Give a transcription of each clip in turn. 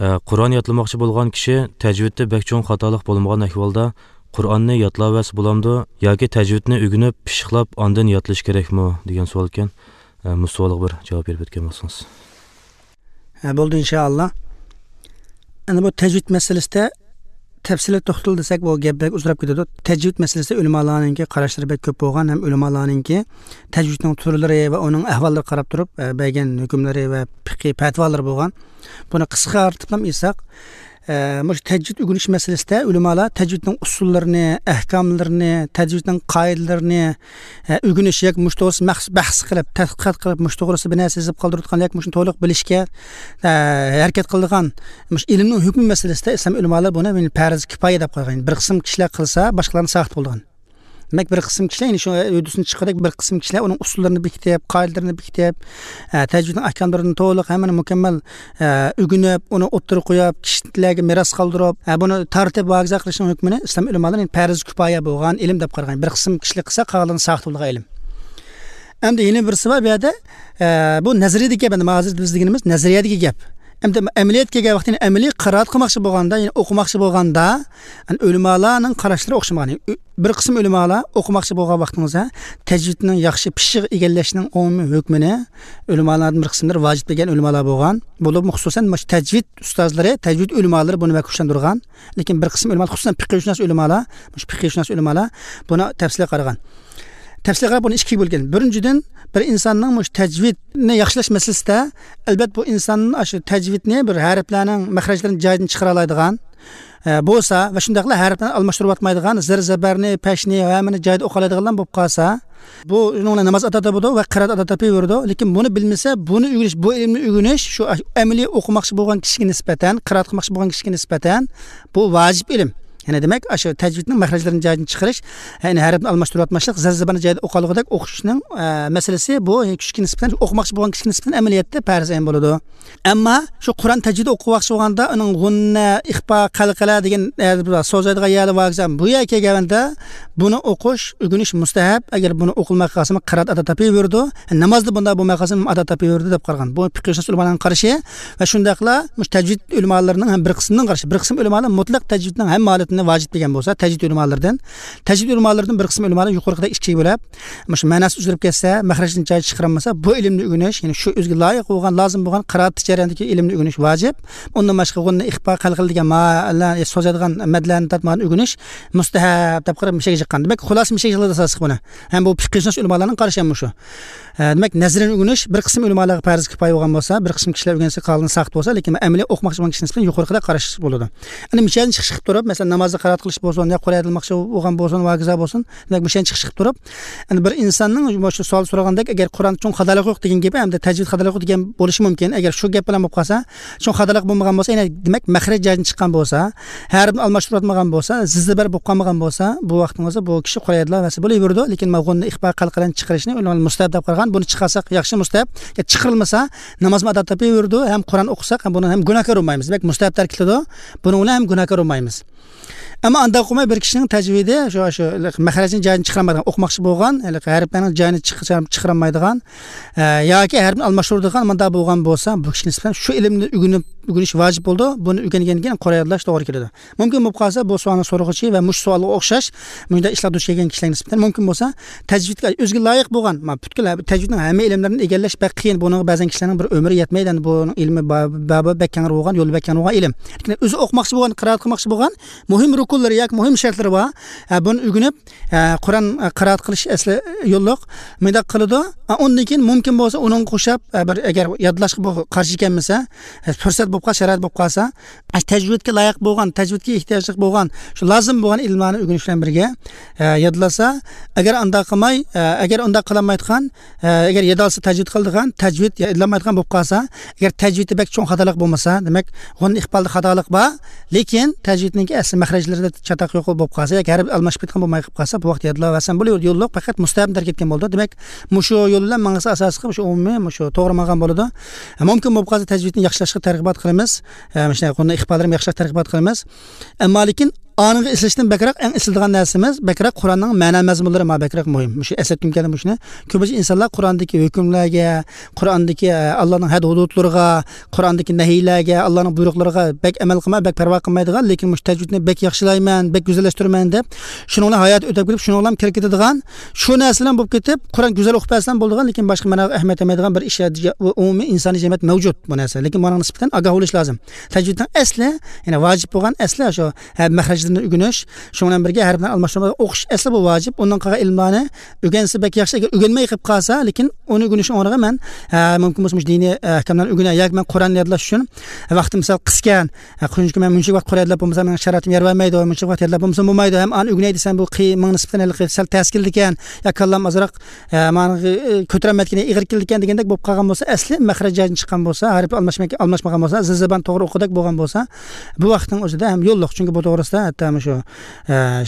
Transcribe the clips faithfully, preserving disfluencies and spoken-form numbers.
Qur'on yodlamoqchi bo'lgan kishi tajvidda bek cho'ng xatolik bo'lmagan ahvolda Qur'onni yodlavasi bo'lamdi yoki tajvidni o'rganib, pishiqlab, ondan yodlash kerakmi degan savol ekan. Bu savolga bir javob berib o'tgan bo'lsangiz. Ha, bo'ldi inshaalloh. Endi bu tajvid masalasida tafsilot to'xtal desak, bu gap bek uzrab ketadi. Tajvid masalasida ulamolarninki qarashlari bek ko'p bo'lgan, ham ulamolarninki tajvidning turlari va uning ahvollari qarab turib bergan hukmlari va fiqhiy fatvolari bo'lgan. Buni qisqartib ham aytsak, mush tajvid o'rganish masalasida ulamolar tajvidning usullarini, ahkomlarini, tajvidning qoidalarini o'rganish yoki mush to'g'risida maxsus bahs qilib, tadqiqot qilib, mush to'g'risida bir narsa yozib qoldirayotgan yoki mushni to'liq bilishga harakat qiladigan mush ilmning hukmi masalasida islom ulamolar buni farz kifoya deb qo'ygan. Bir qism kishilar qilsa, boshqalarni saqit bo'lgan. Demak, bir qism kishilar endi shu o'disini chiqarib, bir qism kishilar uning usullarini bekitib, qoidalarini bekitib, tajvidning ahkomlarini to'liq hammani mukammal o'rganib, uni o'ttirib qo'yib, kishilarga meros qoldirib, buni tartib va agza qilishning hukmini islom ulamolari farz kifoya bo'lgan ilm deb qaragan. Bir qism kishilar qilsa, qolganini saqit bo'lgan ilm. Endi yana birisi bor bu yerda, bu nazariyadagi gap, endi hozir biz deganimiz nazariyadagi gap. Endi amaliyotga kelgan vaqtda, amaliy qiroat qilmoqchi bo'lganda, ya'ni o'qimoqchi bo'lganda, ulamolarning qarashlari o'xshamagan. Bir qism ulamolar o'qimoqchi bo'lgan vaqtingizda tajvidning yaxshi pishiq egallashning umumiy hukmini ulamolarning bir qismlari vojib degan ulamolar bo'lgan. Bo'lib, xususan tajvid ustozlari, tajvid ulamolari buni kuchlantirgan. Lekin bir qism ulamolar, xususan fiqhshunos ulamolar, shu fiqhshunos ulamolar buni tafsilga qaragan. Tafsilga qarab buni ikkiga bo'lgan. Birinchidan, bir insonning mush tajvidni yaxshilash masalasida albat bu insonning shu tajvidni bir harflarning maxrajlarini joyidan chiqara oladigan bo'lsa va shundaqla harflarni almashtirib atmaydigan, zir zabarni, pashni va hammani joyida o'qi oladigan bo'lib qolsa, bu uning namoz ado bo'ladi va qiroat ado topaveradi. Lekin buni bilmasa, buni o'rganish, bu ilmni o'rganish shu amaliy o'qimoqchi bo'lgan kishiga nisbatan, qiroat qilmoqchi bo'lgan kishiga nisbatan bu vojib ilm. Ya'ni demak, shu tajvidning maxrajlarini joyidan chiqarish, ya'ni harfni almashtirib atmaslik, zir zabarni joyida o'qilg'idek o'qishning masalasi bu kishiga nisbatan, o'qimoqchi bo'lgan kishiga nisbatan amaliyotda farz ayn bo'ladi. Ammo shu Qur'on tajvidi o'qimoqchi bo'lganda uning g'unna, ixfo, qalqala degan so'zlarga yali vaqzam bu yerga kelganda buni o'qish, o'rganish mustahab. Agar buni o'qilmay qolsa, qiroat ado topaveradi. Namozda bunda bo'lmay qolsa, ado topaveradi deb qaragan. Bu fiqhshunos ulamolarning qarashi va shundaqla tajvid ulamolarining ham bir qismining qarashi. Bir qism ulamolar mutlaq tajvidning hamma holatini vojib degan bo'lsa, tajvid ulamolaridan, tajvid ulamolaridan bir qism ulamolar yuqorida ikkiga bo'lib, shu ma'nosi uzilib ketsa, maxrajini joyi chiqarolmasa, bu ilmni o'rganish, ya'ni shu o'ziga loyiq bo'lgan, lozim bo'lgan qiroat jarayonidagi ilmni o'rganish vojib. Undan boshqa g'unni ixfo, qalqil degan ma'nolar so'zadigan madlarni tatmani o'rganish mustahab deb qarab mishaga chiqqan. Demak, xulosa mishaga chiqadi asosli buni. Ham bu fiqhshunos ulamolarning qarashi ham shu. Demak, nazrini o'rganish bir qism ulamolarga farz kifoya bo'lgan bo'lsa, bir qism kishilar o'rgansa qolgan saqt bo'lsa, lekin amaliy o'qimoqchi bo'lgan kishining nisbatan yuqorida qarash bo'ladi. Endi mishadan chiqish qilib turib, masalan, namozda qiroat qilish bo'lsin, yo Qur'on aytilmoqchi bo'lgan bo'lsin, va hokazo bo'lsin. Demak, mishadan chiqish qilib turib, endi bir insonning shu savol so'ragandek, agar Qur'on uchun xatalik yo'q degan gap hamda tajvid xatalik yo'q degan bo'lishi mumkin. Agar shu gap bilan bo'lib qolsa, shu xatalik bo'lmagan bo'lsa, ya'ni demak, maxraj joyidan chiqqan bo'lsa, harfni almashtirib atmagan bo'lsa, zizbar bo'lib qolmagan bo'lsa, bu vaqtning o'zi bu kishi Qur'on aytilmasa bo'laveradi, lekin mavg'unni ixfo qalqidan chiqarishni ulamolar mustahab deb qaragan. Buni chiqarsak yaxshi mustahab, chiqarilmasa namozmi ado topaveradi, ham Qur'on o'qisak ham buni ham gunohkor bo'lmaymiz. Demak, mustahab tark etiladi, buni bilan ham gunohkor bo'lmaymiz. Ammo anda o'qimay bir kishining tajvidi shu shu maxrajini joyini chiqarolmaydigan, o'qimoqchi bo'lgan, harflarning joyini chiqarolmaydigan yoki harfni almashtiradigan manda bo'lgan bo'lsa, bu kishiga nisbatan shu ilmni o'rganib o'rganish vojib bo'ldi. Buni o'rgangandan keyin Qur'on yodlash to'g'ri keladi. Mumkin bo'lib qolsa, bu savolni so'rag'uchi va mush savolga o'xshash bunday ishlar duch kelgan kishilarga nisbatan mumkin bo'lsa, tajvidga o'ziga loyiq bo'lgan, butkul tajvidning hamma ilmlarini egallash bek qiyin. Buni ba'zan kishilarning bir umri yetmaydi. Buning ilmi babi bek keng bo'lgan, yo'li bek keng bo'lgan ilm. Lekin o'zi o'qimoqchi bo'lgan, qiroat qilmoqchi bo'lgan muhim rukunlari yoki muhim shartlari bor. Buni o'rganib, Qur'on qiroat qilish asli yo'lliq bunday qiladi. Undan keyin mumkin bo'lsa, uning qo'shib bir agar yodlashga qarshi ekanmisa, fursat bo'lib qolsa, sharoit bo'lib qolsa, tajvidga loyiq bo'lgan, tajvidga ehtiyojli bo'lgan, shu lozim bo'lgan ilmlarni o'rganish bilan birga yodlasa, agar unda qilmay, agar unda qilolmaydigan, agar yodolsa tajvid qildigan, tajvid yodlamaydigan bo'lib qolsa, agar tajvidda bek cho'ng xatolik bo'lmasa, demak, g'un iqbolda xatolik bor, lekin tajvidning asli maxrajlarida chataq yo'q bo'lib qolsa yoki harf almashib ketgan bo'lmay qolib qolsa, bu vaqt yodlaversan bo'laveradi. Yo'lliq faqat mustahab tark etgan bo'ldi. Demak, mushu yo'l bilan mang'isi asosiy qilib shu umumiy mushu to'g'ri maqam bo'ladi. Mumkin bo'lib qolsa tajvidni yaxshilashga targ'ibot qilamiz. Mana shunday qonun iqbollarni yaxshilab targ'ibot qilamiz. Ammo lekin Anıga eslashdan bakroq eng eslaydigan narsamiz bakroq Qur'onning ma'no mazmunlari ma bakroq muhim. Shu eslatkim keldi shuni. Ko'pincha insonlar Qur'ondagi hukmlarga, Qur'ondagi Allohning had hududlariga, Qur'ondagi nahiylarga, Allohning buyruqlariga bak amal qilmay, bak parvo qilmaydigan, lekin mush tajvidni bak yaxshilayman, bak go'zallashtiraman deb shuning bilan hayot o'tib kelib, shuning bilan kirib ketadigan, shu narsalar bo'lib ketib, Qur'on go'zal o'qib bersan bo'ladigan, lekin boshqa ma'noga ahamiyat bermaydigan bir ish umumiy insoniy jamiyat mavjud bu narsa. Lekin buning nisbatan ogoh bo'lish lozim. Tajvidning asli, ya'ni vojib bo'lgan asli shu mahrajlarni o'rganish, shu bilan birga harflarni almashtirib o'qish asli bu vojib. Undan qolgan ilmlarni o'rgansa bak yaxshi, agar o'rganmay qolib qolsa, lekin uni o'rganish o'rniga men mumkin bo'lsa diniy ahkamlarni o'rganay yoki men Qur'onni yodlash uchun vaqtim misol qiskan, chunki men muncha vaqt Qur'on yodlab bo'lmasa mening sharoitim yer bermaydi, muncha vaqt yodlab bo'lmasa bo'lmaydi, ham ani o'rganay desam bu qiyin nisbatan sal tas keldi ekan, yo kallam ozroq mani ko'tarolmayotgan, ig'ir keldi ekan degandek bo'lib qolgan bo'lsa, asli mahrajdan chiqqan bo'lsa, harf almashmak almashmagan bo'lsa, zibon to'g'ri o'qidak bo'lgan bo'lsa, bu vaqtning o'zida ham yo'lliq. Chunki bu to'g'risida hatto shu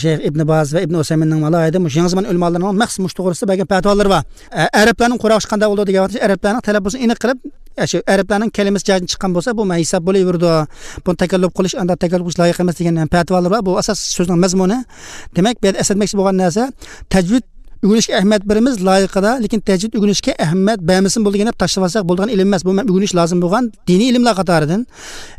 Sheyx Ibn Baz va Ibn Usayminning alohida mush yangi zamon ulamolarining maxsus mush to'g'risida bergan fatvolari bor. Arablarning qur'oshi qanday bo'ldi degan vaqtda arablarning talaffuzini aniq qilib, shu arablarning kalimasi joyidan chiqqan bo'lsa, bu hisob bo'laverdi. Buni takallub qilish, unda takallub qilish loyiq emas degan fatvolar bor. Bu asos so'zning mazmuni. Demak, bu yerda eslatmoqchi bo'lgan narsa tajvid o'rganishga ahamiyat beramiz loyiqida, lekin tajvid o'rganishga ahamiyat bermasin bo'lgan deb tashlab olsak bo'lgan ilm emas. Bu o'rganish lozim bo'lgan diniy ilmlar qatoridan.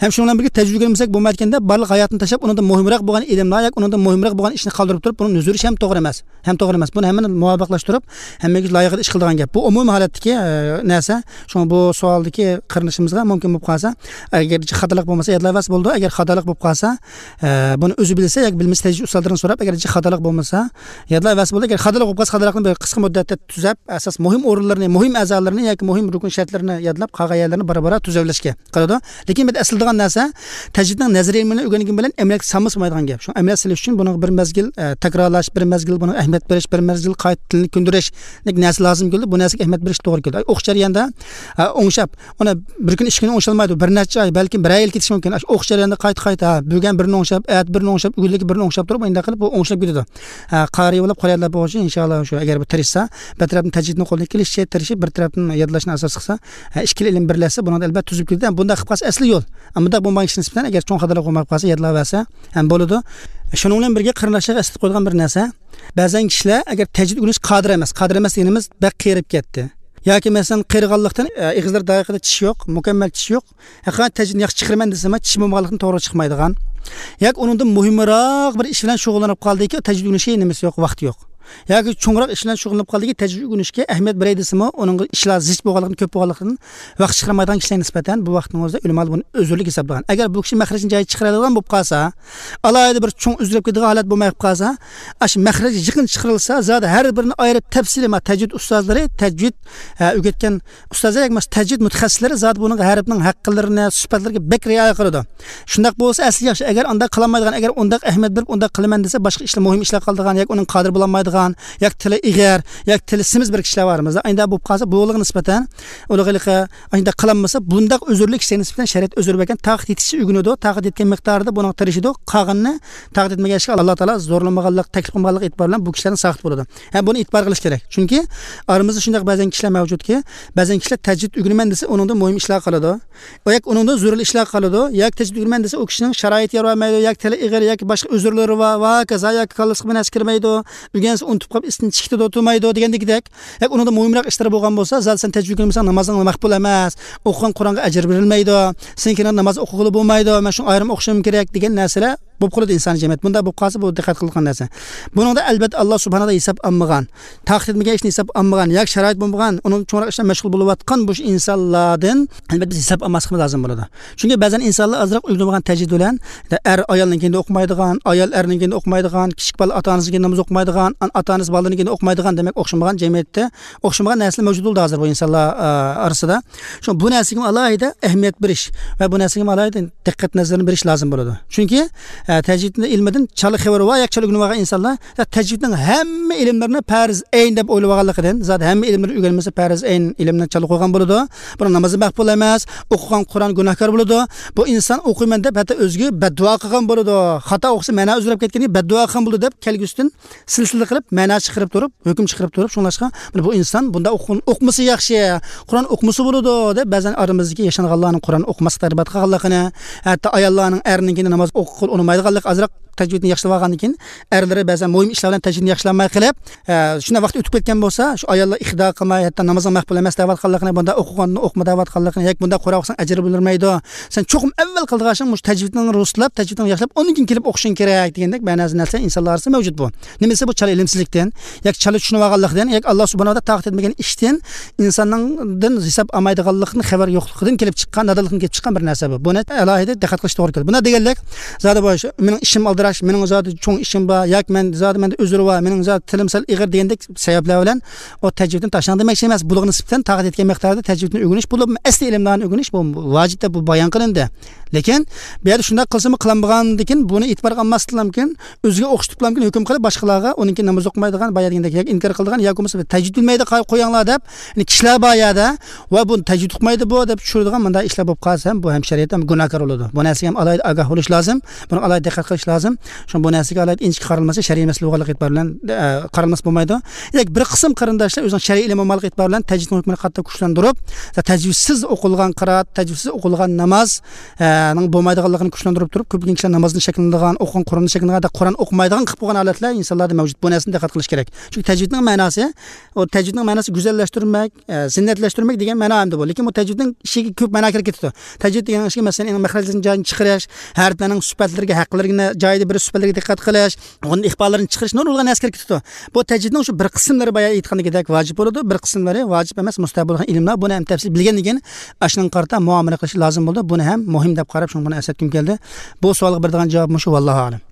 Ham shu bilan birga tajvid o'rganmasak bo'lmayotganda barliq hayotni tashlab undan muhimroq bo'lgan ilmlar yoki undan muhimroq bo'lgan ishni qoldirib turib, buni nuzurish ham to'g'ri emas. Ham to'g'ri emas. Buni hammani muvofiqlashtirib, hammaga loyiqida ish qiladigan gap. Bu umumiy holatdagi narsa. Shunga bu savoldagi qarinishimizga mumkin bo'lib qolsa, agar xatolik bo'lmasa yodlayvas bo'ldi, agar xatolik bo'lib qolsa, buni o'zi bilsa yoki bilmasa tajvid ustozlaridan so'rab, agar xatolik bo'lmasa yodlayvas bo'ldi, agar xatolik bo'lib qolsa xatolikni bir qisqa muddatda tuzab, asos muhim o'rinlarini, muhim a'zolarini yoki muhim rukun shartlarini yodlab, qolgan yerlarini bara-bara tuzavlashga qiladi. Lekin bu asl degan narsa tajvidning nazariy ilmini o'rgangan bilan amaliyotga solmasa bo'lmaydigan gap. Shu amaliyot silish uchun buni bir mezgil takrorlash, bir mezgil buni ahamiyat berish, bir mezgil qayta tilni kundirish narsa lozim keldi. Bu narsaga ahamiyat berish to'g'ri keldi. O'qish jarayonida o'ngshab, uni bir kun ikki kun o'ngshalmaydi, bir necha oy, balkim bir yil ketishi mumkin. O'qish jarayonida qayta-qayta bugun birini o'ngshab, at birini o'ngshab, o'g'illik birini o'ngshab turib, endi qilib bu o'ngshab ketadi. Qari bo'lib qo'yadilar bu uchun inshaalloh shu agar bu tirishsa, bir tarafdan tajvidni qo'ldan kelishicha tirishib, bir tarafdan yodlashni asos qilsa, ikkala ilm birlashsa, buni albatta tuzib ketadi. Bunda qilib qolsa asli yo'l. Ammo bo'lmagan kishi nisbatan agar cho'ng xatolar qilmay qolsa, yodlaversa ham bo'ladi. Shuning bilan birga qarindoshlarga eslatib qo'ygan bir narsa, ba'zan kishilar agar tajvid o'rganish qodir emas, qodir emas deganimiz bak qerib ketdi. Yoki masalan qerg'anlikdan eg'izlar daqiqada tish yo'q, mukammal tish yo'q. Haqiqatan tajvidni yaxshi chiqaraman desam, tish bo'lmaganlikdan to'g'ri chiqmaydigan. Yoki undan muhimroq bir ish bilan shug'ullanib qoldiki, tajvid o'rganishga nimasi yo'q, vaqti yo'q. Yoki cho'ngroq ish bilan shug'ullanib qoldiki, tajvid o'rganishga ahamiyat beray desimi, uning ishlar zich bo'lganligidan, ko'p bo'lganligidan vaqt chiqarmaydigan kishilarga nisbatan bu vaqtning o'zida ulamolar buni uzrlik hisoblagan. Agar bu kishi mahrajni joyi chiqaradigan bo'lib qolsa, alohida bir cho'ng uzrib ketadigan holat bo'lmay qolsa, ash mahraj yaqin chiqarilsa, zodi har birini ayirib tafsili ma tajvid ustozlari, tajvid o'rgatgan ustozlar yoki tajvid mutaxassislari zodi buning harfning haqqlarini, sifatlariga bek rioya qiladi. Shundoq bo'lsa asli yaxshi. Agar undaq qilolmaydigan, agar undaq ahamiyat berib undaq qilaman desa, boshqa ishlar, muhim ishlar qoldigan yoki uning qodir bo'lolmaydigan, yoki tili ig'ir, yoki tili semiz bir kishilar borimizda. Endi bo'lib qolsa, buliga nisbatan ulig'liqi endi qilinmasa, bundaq uzrlik kishiga nisbatan shariat uzr bergan, taqid etishi o'rganadi, taqid etgan miqdorida buni tirishidi, qolganini taqid etmagan ishga Alloh taolo zo'rlamaganlik, taklif qilmaganlik e'tibor bilan bu kishilarni saqit bo'ladi. Ham buni e'tibor qilish kerak. Chunki aramizda shunday ba'zan kishilar mavjudki, ba'zan kishilar tajvid o'rganaman desa, uningda muhim ishlar qiladi, yoki uningda zo'rli ishlar qiladi, yoki tajvid o'rganaman desa, u kishining sharoiti yer bermaydi, yoki tili ig'ir, yoki boshqa uzrlari va va kaza, yoki kallasi bilan kirmaydi, o'rgansa unutib qolib isini chiqdi o'tmaydi degandek. Yoki uningda muhimroq ishlar bo'lgan bo'lsa, zot sen tajvid o'rganmasan namozing maqbul emas, o'qigan Qur'onga ajr berilmaydi, senkini namoz o'qig'ili bo'lmaydi, men shuni ayrim o'qishim kerak degan narsalar bo'lib qoladi inson jamiyat. Bunda bo'lib qolsa bu diqqat qilgan narsa. Buningda albatta Alloh subhanahu va taolo hisob olmagan, taqdir etmagan ishni hisob olmagan, yoki sharoit bo'lmagan, uning cho'ngroq ishdan mashg'ul bo'layotgan bu insonlardan albatta biz hisob olmasligimiz lozim bo'ladi. Chunki ba'zan insonlar ozroq o'rganmagan tajvid bilan er ayolning keyin o'qimaydigan, ayol erning keyin o'qimaydigan, kichik bola ota-onasining namoz o'qimaydigan, ota-onasi bolaning keyin o'qimaydigan, demak o'xshamagan jamiyatda o'xshamagan narsalar mavjud bo'ldi hozir bu insonlar orasida. Shu bu narsaga alohida ahamiyat berish va bu narsaga alohida diqqat nazarini berish lozim bo'ladi. Chunki tajvidni ilmidan chala xabar va yak chala o'rgangan insonlar tajvidning hamma ilmlarini farz ayn deb o'ylab olganligidan, zot hamma ilmlarni o'rganmasa farz ayn ilmni chala qo'ygan bo'ladi. Buni namozi maqbul emas, o'qigan Qur'on gunohkor bo'ladi. Bu inson o'qiyman deb hatto o'ziga badduo qilgan bo'ladi. Xato o'qisa ma'no uzrab ketgani badduo qilgan bo'ladi deb kelgusidan silsila qilib ma'no chiqarib turib, hukm chiqarib turib, shunlashqa bu inson bunda o'qimasa yaxshi, Qur'on o'qimasa bo'ladi deb ba'zan oramizdagi yashanganlarning Qur'on o'qimaslik tarbiya qilganligini, hatto ayollarning erning namoz o'qib unutmaydiganlik azroq tajvidni yaxshilab olgandan keyin erlari ba'zan muhim ishlar bilan tajvidni yaxshilamay qilib, shunday vaqt o'tib ketgan bo'lsa, shu ayollar ixdo qilmay, hatto namozga maqbul emas deyotganligini, bunda o'qiganini o'qima deyotganligini, yoki bunda Qur'on o'qisang ajr bo'lmaydi. Sen cho'qim avval qildigan mush tajvidni ruslab, tajvidni yaxshilab, undan keyin kelib o'qishing kerak degandek ba'zi narsa insonlar orasida mavjud bu. Nimasi bu chala ilmsizlikdan, yoki chala tushunib olganlikdan, yoki Alloh subhanahu va taolo taqdir etmagan ishdan insonning hisob olmaydiganlikni xabar yo'qligidan kelib chiqqan, nodonlikdan kelib chiqqan bir narsa bu. Buni alohida diqqat qilish to'g'ri keladi. Buna deganlik, zodi bosh, mening ishim aldirash, mening zodi cho'ng ishim bor, yoki men zodi menda uzr bor, mening zodi tilim sal ig'ir degandek sabablar bilan o tajvidni tashlang demoqchi emas. Bulug'ni nisbatan taqdir etgan miqdorda tajvidni o'rganish, bu asli ilmlarni o'rganish bu vojib deb bu bayon qilindi. Lekin bu yerda shunday qilsami qilinmagandan buni e'tiborga olmaslik mumkin, o'ziga o'xshatib mumkin hukm qilib boshqalarga uniki namoz o'qimaydigan, boya degandek yoki inkor qiladigan yoki bo'lmasa tajvid bilmaydi qo'yanglar deb, ya'ni kishilar bor yerda va buni tajvid o'qimaydi bu deb tushiradigan bunday ishlar bo'lib qolsa ham bu ham shariat ham gunohkor bo'ladi. Bu narsaga ham alohida ogoh bo'lish lozim, buni alohida diqqat qilish lozim. Shun bu narsaga alohida inchik qaralmasa shariy masala bo'lganlik e'tibor bilan qaralmas bo'lmaydi. Yoki bir qism qarindoshlar o'zining shariy ilmi bo'lganlik e'tibor bilan tajvidning hukmini qattiq kuchlantirib, tajvidsiz o'qilgan qiroat, tajvidsiz o'qilgan namoz bo'lmaydiganligini kuchlantirib turib, ko'pgina kishilar namozni shakllanadigan, o'qigan Qur'onni shakllanadigan, Qur'on o'qimaydigan qilib qo'ygan holatlar insonlarda mavjud. Bu narsani diqqat qilish kerak. Chunki tajvidning ma'nosi, o tajvidning ma'nosi go'zallashtirmak, zinnatlashtirish degan ma'no hamda bu. Lekin bu tajvidning ishiga ko'p ma'no kirib ketdi. Tajvid degan ishga masalan, maxrajning joyini chiqarish, harflarning sifatlariga, haqlarga joyida bir sifatlarga diqqat qilish, uning iqbollarini chiqarish nurg'un narsa kirib ketdi. Bu tajvidning shu bir qismlari boya aytgandek vojib bo'ladi, bir qismlari vojib emas, mustahab bo'lgan ilmlar. Buni ham tafsil bilgandan keyin ashning qarta muomala qilish lozim bo'ldi. Buni ham muhim deb qarab, shuni buni eslatgim keldi. Bu savolga beradigan javob shu, vallohu a'lam.